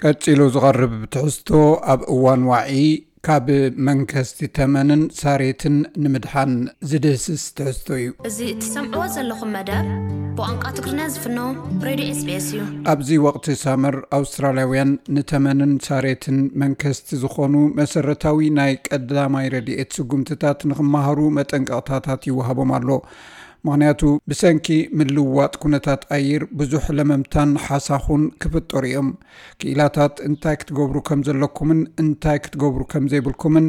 ቀጺሉ ዝቐርብ ትሕዝቶ ኣብ እዋን ዋዒ ካብ መንከስቲ ተመንን ሳሬትን ንምድሓን ዝድህስስ ትሕዝቶ እዩ። እዚ እትሰምዕዎ ዘለኹም መደብ ብቋንቋ ትግርኛ ዝፍኖ ሬድዮ ኤስቢኤስ እዩ። ኣብዚ ወቕቲ ሳመር ኣውስትራልያውያን ንተመንን ሳሬትን መንከስቲ ዝኾኑ መሰረታዊ ናይ ቀዳማይ ረድኤት ስጉምትታት ንኽመሃሩ መጠንቀቕታታት ይወሃቦም ኣሎ። ምኽንያቱ ብሰንኪ ምልውዋጥ ኩነታት ኣየር ብዙሕ ለመምታን ሓሳኹን ክፍጠሩ እዮም። ክኢላታት እንታይ ክትገብሩ ከም ዘለኩምን እንታይ ክትገብሩ ከም ዘይብልኩምን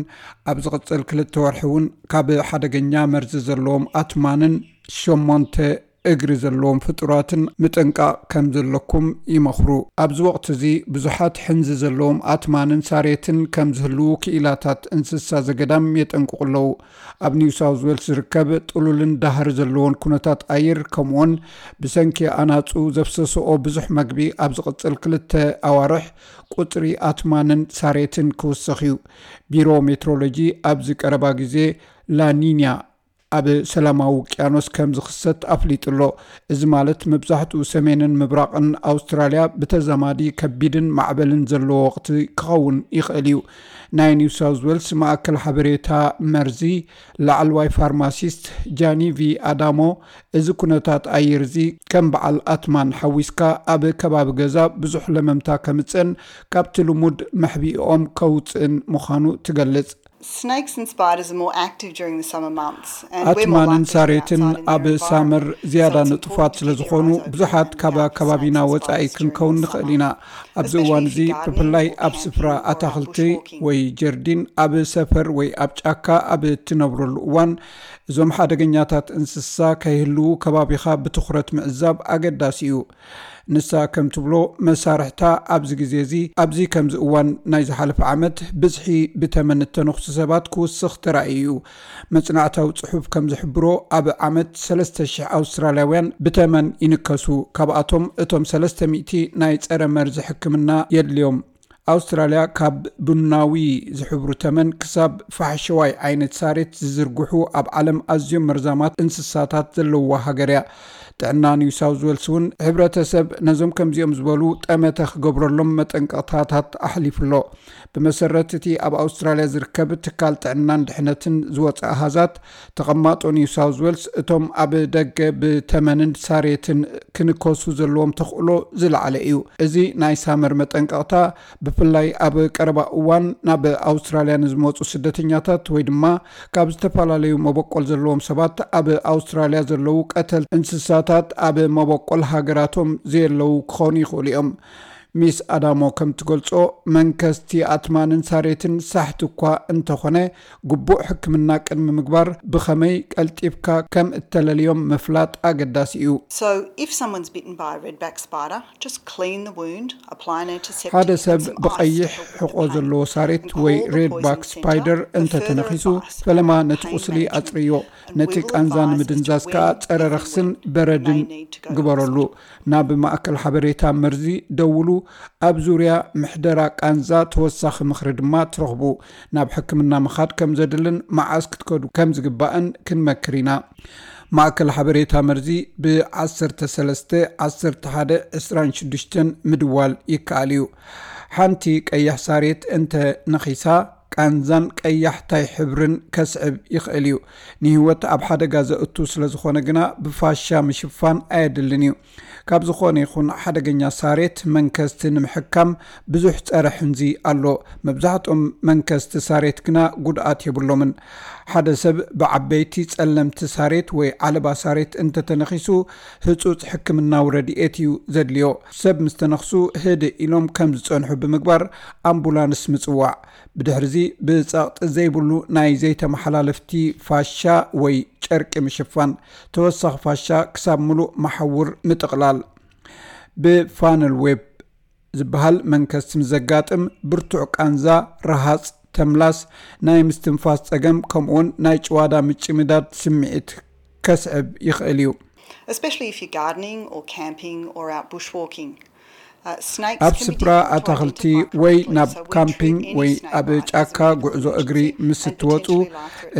ኣብ ዝቕጽል ክልተ ወርሒ እውን ካብ ሓደገኛ መርዚ ዘለዎም ኣትማንን ሸሞንተ እግሪ ዘለዎም ፍጡራትን ምጥንቃቕ ከም ዘለኩም ይመኽሩ። ኣብዚ ወቕቲ እዚ ብዙሓት ሕንዚ ዘለዎም ኣትማንን ሳሬትን ከም ዝህልዉ ክኢላታት እንስሳ ዘገዳም የጠንቅቑ ኣለዉ። ኣብ ኒው ሳውዝ ዌልስ ዝርከብ ጥሉልን ዳህሪ ዘለዎን ኩነታት ኣየር፣ ከምኡውን ብሰንኪ ኣናጹ ዘፍሰስኦ ብዙሕ መግቢ ኣብ ዝቕጽል ክልተ ኣዋርሕ ቁጽሪ ኣትማንን ሳሬትን ክውስኽ እዩ። ቢሮ ሜትሮሎጂ ኣብዚ ቀረባ ግዜ ላኒኛ ኣብ ሰላማዊ ውቅያኖስ ከም ዝኽሰት ኣፍሊጡ ኣሎ። እዚ ማለት መብዛሕትኡ ሰሜንን ምብራቕን ኣውስትራልያ ብተዛማዲ ከቢድን ማዕበልን ዘለዎ ወቕቲ ክኸውን ይኽእል እዩ። ናይ ኒው ሳውዝ ዌልስ ማእከል ሓበሬታ መርዚ ላዕለዋይ ፋርማሲስት ጃኒቪ ኣዳሞ፣ እዚ ኩነታት ኣየር እዚ ከም በዓል ኣትማን ሓዊስካ ኣብ ከባቢ ገዛ ብዙሕ ለመምታ ከምጽእን ካብቲ ልሙድ መሕቢኦም ከውጽእን ምዃኑ ትገልጽ። Snakes and spiders are more active during the summer months, and we're more ኣትማንን likely to be ሳሬትን outside in ኣብ their ሳመር environment. ዝያዳ So it's ንጡፋት important to ስለ keep your ዝኾኑ eyes open ብዙሓት and ካብ be out with ኣከባቢና snakes and ወጻኢ spiders during ክንከውን the ንኽእል summer, ኢና። ኣብዚ እዋን especially if እዚ you're ብፍላይ gardening ኣብ or ስፍራ out ኣታኽልቲ bushwalking. ወይ ጀርዲን ኣብ ሰፈር ወይ ኣብ ጫካ ኣብ እትነብረሉ እዋን እዞም ሓደገኛታት እንስሳ ከይህልዉ ከባቢኻ ብትኹረት ምዕዛብ ኣገዳሲ እዩ። ንሳ ከም ትብሎ መሳርሕታ ኣብዚ ግዜ እዚ ኣብዚ ከምዚ እዋን ናይ ዝሓለፈ ዓመት ብዝሒ ብተመን እተነኽሱ ሰባት ክውስኽ ተራእዩ እዩ። መጽናዕታዊ ጽሑፍ ከም ዝሕብሮ ኣብ ዓመት ሰለስተ ሽሕ ኣውስትራልያውያን ብተመን ይንከሱ። ካብኣቶም እቶም ሰለስተ ሚእቲ ናይ ጸረ መርዚ ሕክምና የድልዮም። ኣውስትራልያ ካብ ቡናዊ ዝሕብሩ ተመን ክሳብ ፋሕሸዋይ ዓይነት ሳሬት ዝዝርግሑ ኣብ ዓለም ኣዝዮም መርዛማት እንስሳታት ዘለውዋ ሃገር እያ። ጥዕና ኒው ሳውዝ ዌልስ እውን ሕብረተሰብ ነዞም ከምዚኦም ዝበሉ ጠመተ ክገብረሎም መጠንቀቕታታት ኣሕሊፉ ኣሎ። ብመሰረት እቲ ኣብ ኣውስትራልያ ዝርከብ ትካል ጥዕናን ድሕነትን ዝወፀ ኣሃዛት፣ ተቐማጦ ኒው ሳውዝ ዌልስ እቶም ኣብ ደገ ብተመንን ሳሬትን ክንከሱ ዘለዎም ተኽእሎ ዝለዓለ እዩ። እዚ ናይ ሳመር መጠንቀቕታ ብፍላይ ኣብ ቀረባ እዋን ናብ ኣውስትራልያ ንዝመፁ ስደተኛታት ወይ ድማ ካብ ዝተፈላለዩ መበቆል ዘለዎም ሰባት፣ ኣብ ኣውስትራልያ ዘለዉ ቀተል እንስሳታት ኣብ መበቆል ሃገራቶም ዘየለዉ ክኾኑ ይኽእሉ እዮም። ሚስ ኣዳሞ ከም ትገልጾ፣ መንከስቲ ኣትማንን ሳሬትን ሳሕቲ እኳ እንተኾነ፣ ግቡእ ሕክምና ቅድሚ ምግባር ብኸመይ ቀልጢፍካ ከም እተለልዮም ምፍላጥ ኣገዳሲ እዩ። So, if someone's bitten by a redback spider, just clean the wound, apply an antiseptic ሓደ ሰብ ብቐይሕ ሕቆ ዘለዎ ሳሬት ወይ ሬድባክ ስፓይደር እንተተነኺሱ፣ ፈለማ ነቲ ቁስሊ ኣጽርዮ። ነቲ ቃንዛ ንምድንዛዝ ከኣ ጸረ ረኽስን በረድን ግበረሉ። ናብ ማእከል ሓበሬታ መርዚ ደውሉ። ኣብ ዙርያ ምሕደራ ቃንዛ ተወሳኺ ምኽሪ ድማ ትረኽቡ። ናብ ሕክምና ምኻድ ከም ዘድልን መዓስ ክትከዱ ከም ዝግባእን ክንመክር ኢና። ማእከል ሓበሬታ መርዚ ብ ዓሰርተ ሰለስተ፣ ዓሰርተ ሓደ፣ ዕስራን ሽዱሽተን ምድዋል ይከኣል እዩ። ሓንቲ ቀያሕ ሳሬት እንተ ነኺሳ፣ ቃንዛን ቀያሕታይ ሕብርን ከስዕብ ይኽእል እዩ። ንህይወት ኣብ ሓደጋ ዘእቱ ስለ ዝኾነ ግና ብፋሻ ምሽፋን ኣየድልን እዩ። ካብ ዝኾነ ይኹን ሓደገኛ ሳሬት መንከስቲ ንምሕካም ብዙሕ ጸረ ሕንዚ ኣሎ። መብዛሕትኦም መንከስቲ ሳሬት ግና ጉድኣት የብሎምን። ሓደ ሰብ ብዓበይቲ ጸለምቲ ሳሬት ወይ ዓለባ ሳሬት እንተተነኺሱ፣ ህጹጽ ሕክምናዊ ረድኤት እዩ ዘድልዮ። ሰብ ምስ ተነኽሱ ህድእ ኢሎም ከም ዝጸንሑ ብምግባር ኣምቡላንስ ምጽዋዕ። ብድሕርዚ ብጸቕጢ ዘይብሉ ናይ ዘይተመሓላለፍቲ ፋሻ ወይ ጨርቂ ምሽፋን፣ ተወሳኺ ፋሻ ክሳብ ምሉእ መሓውር ምጥቕላል። ብፋነል ዌብ ዝበሃል መንከስቲ ምስ ዘጋጥም፣ ብርቱዕ ቃንዛ፣ ረሃጽ፣ ተምላስ፣ ናይ ምስትንፋስ ጸገም፣ ከምኡውን ናይ ጭዋዳ ምጭምዳድ ስምዒት ከስዕብ ይኽእል እዩ። Especially if you're gardening or camping or out bushwalking. ኣብ ስፍራ ኣታኽልቲ ወይ ናብ ካምፒንግ ወይ ኣብ ጫካ ጉዕዞ እግሪ ምስ እትወጹ፣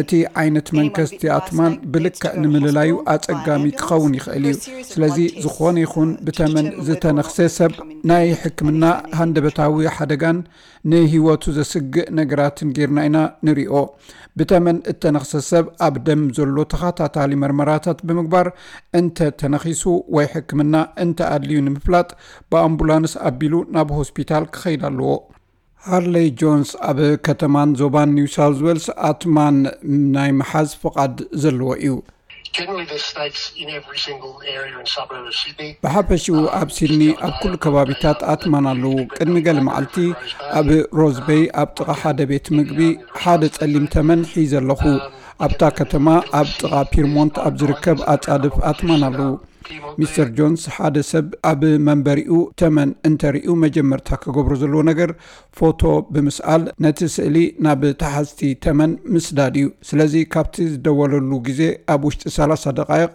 እቲ ዓይነት መንከስቲ ኣትማን ብልክዕ ንምልላዩ ኣጸጋሚ ክኸውን ይኽእል እዩ። ስለዚ ዝኾነ ይኹን ብተመን ዝተነኽሰ ሰብ ናይ ሕክምና ሃንደበታዊ ሓደጋን ንህይወቱ ዘስግእ ነገራትን ጌርና ኢና ንሪኦ። ብተመን እተነኽሰ ሰብ ኣብ ደም ዘሎ ተኸታታሊ መርመራታት ብምግባር እንተ ተነኺሱ ወይ ሕክምና እንተ ኣድልዩ ንምፍላጥ ብኣምቡላንስ ኣቢሉ ናብ ሆስፒታል ክኸይድ ኣለዎ። ሃርለይ ጆንስ ኣብ ከተማን ዞባን ኒው ሳውዝ ዌልስ ኣትማን ናይ ምሓዝ ፍቓድ ዘለዎ እዩ። ብሓፈሽኡ ኣብ ሲድኒ ኣብ ኩሉ ከባቢታት ኣትማን ኣለዉ። ቅድሚ ገለ መዓልቲ ኣብ ሮዝበይ ኣብ ጥቓ ሓደ ቤት ምግቢ ሓደ ጸሊም ተመን ሒዘ ኣለኹ። ኣብታ ከተማ ኣብ ጥቓ ፒርሞንት ኣብ ዝርከብ ኣጻድፍ ኣትማን ኣለዉ። ሚስተር ጆንስ ሓደ ሰብ ኣብ መንበሪኡ ተመን እንተርእዩ መጀመርታ ክገብሮ ዘለዎ ነገር ፎቶ ብምስኣል ነቲ ስእሊ ናብ ተሓዝቲ ተመን ምስዳድ እዩ። ስለዚ ካብቲ ዝደወለሉ ግዜ ኣብ ውሽጢ ሰላሳ ደቓይቕ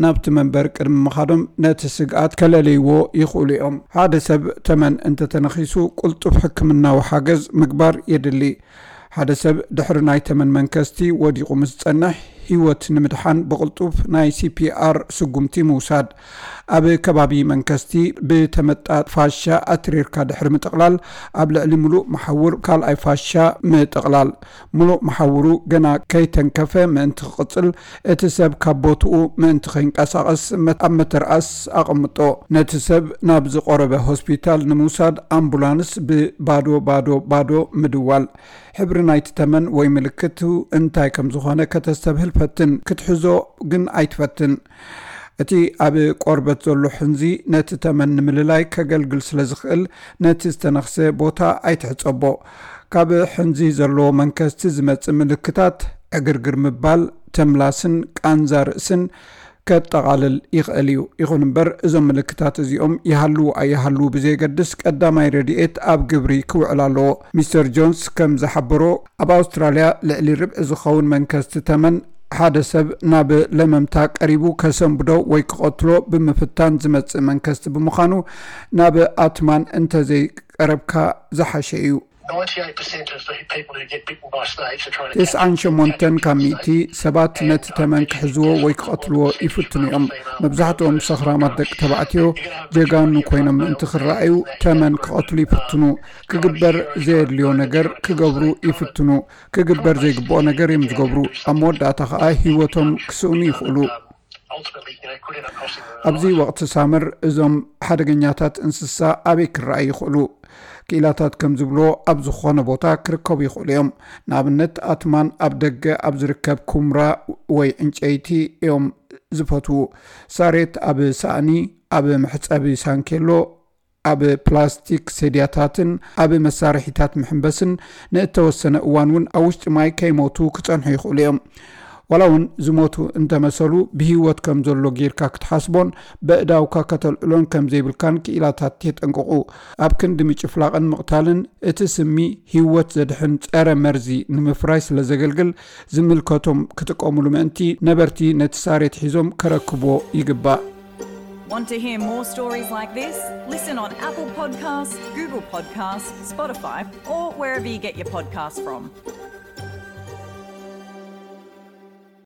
ናብቲ መንበር ቅድሚ ምኻዶም ነቲ ስግኣት ከለለይዎ ይኽእሉ እዮም። ሓደ ሰብ ተመን እንተተነኺሱ ቅልጡፍ ሕክምናዊ ሓገዝ ምግባር የድሊ። ሓደ ሰብ ድሕሪ ናይ ተመን መንከስቲ ወዲቑ ምስ ጸንሕ ህይወት ንምድሓን ብቕልጡፍ ናይ ሲፒኣር ስጉምቲ ምውሳድ። ኣብ ከባቢ መንከስቲ ብተመጣጥ ፋሻ ኣትሪርካ ድሕሪ ምጥቕላል ኣብ ልዕሊ ምሉእ መሓውር ካልኣይ ፋሻ ምጥቕላል። ምሉእ መሓውሩ ገና ከይተንከፈ ምእንቲ ክቕጽል እቲ ሰብ ካብ ቦትኡ ምእንቲ ከይንቀሳቐስ ኣብ መተርኣስ ኣቐምጦ። ነቲ ሰብ ናብ ዝቐረበ ሆስፒታል ንምውሳድ ኣምቡላንስ ብባዶ ባዶ ባዶ ምድዋል። ሕብሪ ናይቲ ተመን ወይ ምልክቱ እንታይ ከም ዝኾነ ከተስተብህል ፈትን፣ ክትሕዞ ግን ኣይትፈትን። እቲ ኣብ ቆርበት ዘሎ ሕንዚ ነቲ ተመን ንምልላይ ከገልግል ስለ ዝኽእል ነቲ ዝተነኽሰ ቦታ ኣይትሕጸቦ። ካብ ሕንዚ ዘለዎ መንከስቲ ዝመጽእ ምልክታት ዕግርግር ምባል፣ ተምላስን ቃንዛ ርእስን ከጠቓልል ይኽእል እዩ። ይኹን እምበር እዞም ምልክታት እዚኦም ይሃልዉ ኣይሃልዉ ብዘየገድስ ቀዳማይ ረድኤት ኣብ ግብሪ ክውዕል ኣለዎ። ሚስተር ጆንስ ከም ዝሓበሮ ኣብ ኣውስትራልያ ልዕሊ ርብዒ ዝኸውን መንከስቲ ተመን ሓደ ሰብ ናብ ለመምታ ቀሪቡ ከሰንብዶ ወይ ክቐትሎ ብምፍታን ዝመጽእ መንከስቲ ብምዃኑ ናብ ኣትማን እንተዘይቀረብካ ዝሓሸ እዩ። ተስዓን ሸሞንተን ካብ ሚእቲ ሰባት ነቲ ተመን ክሕዝዎ ወይ ክቐትልዎ ይፍትኑ እዮም። መብዛሕትኦም ሰኽራማት ደቂ ተባዕትዮ ጀጋኑ ኮይኖም ምእንቲ ክረኣዩ ተመን ክቐትሉ ይፍትኑ። ክግበር ዘየድልዮ ነገር ክገብሩ ይፍትኑ። ክግበር ዘይግብኦ ነገር እዮም ዝገብሩ። ኣብ መወዳእታ ከኣ ህይወቶም ክስእኑ ይኽእሉ። ኣብዚ ወቕቲ ሳመር እዞም ሓደገኛታት እንስሳ ኣበይ ክረኣዩ ይኽእሉ? ክኢላታት ከም ዝብልዎ ኣብ ዝኾነ ቦታ ክርከቡ ይኽእሉ እዮም። ንኣብነት ኣትማን ኣብ ደገ ኣብ ዝርከብ ኩምራ ወይ ዕንጨይቲ እዮም ዝፈትዉ። ሳሬት ኣብ ሳእኒ፣ ኣብ መሕጸቢ ሳንኬሎ፣ ኣብ ፕላስቲክ ሰድያታትን ኣብ መሳርሒታት ምሕንበስን ንእተወሰነ እዋን እውን ኣብ ውሽጢ ማይ ከይሞቱ ክጸንሑ ይኽእሉ እዮም። ዋላ እውን ዝሞቱ እንተመሰሉ ብህይወት ከም ዘሎ ጌርካ ክትሓስቦን በእዳውካ ከተልዕሎን ከም ዘይብልካን ክኢላታት የጠንቅቑ። ኣብ ክንዲ ምጭፍላቕን ምቕታልን እቲ ስሚ ህይወት ዘድሕን ጸረ መርዚ ንምፍራይ ስለ ዘገልግል ዝምልከቶም ክጥቀሙሉ ምእንቲ ነበርቲ ነቲ ሳሬት ሒዞም ከረክብዎ ይግባእ። Want to hear more stories like this? Listen on Apple Podcasts, Google Podcasts, Spotify, or wherever you get your podcasts from.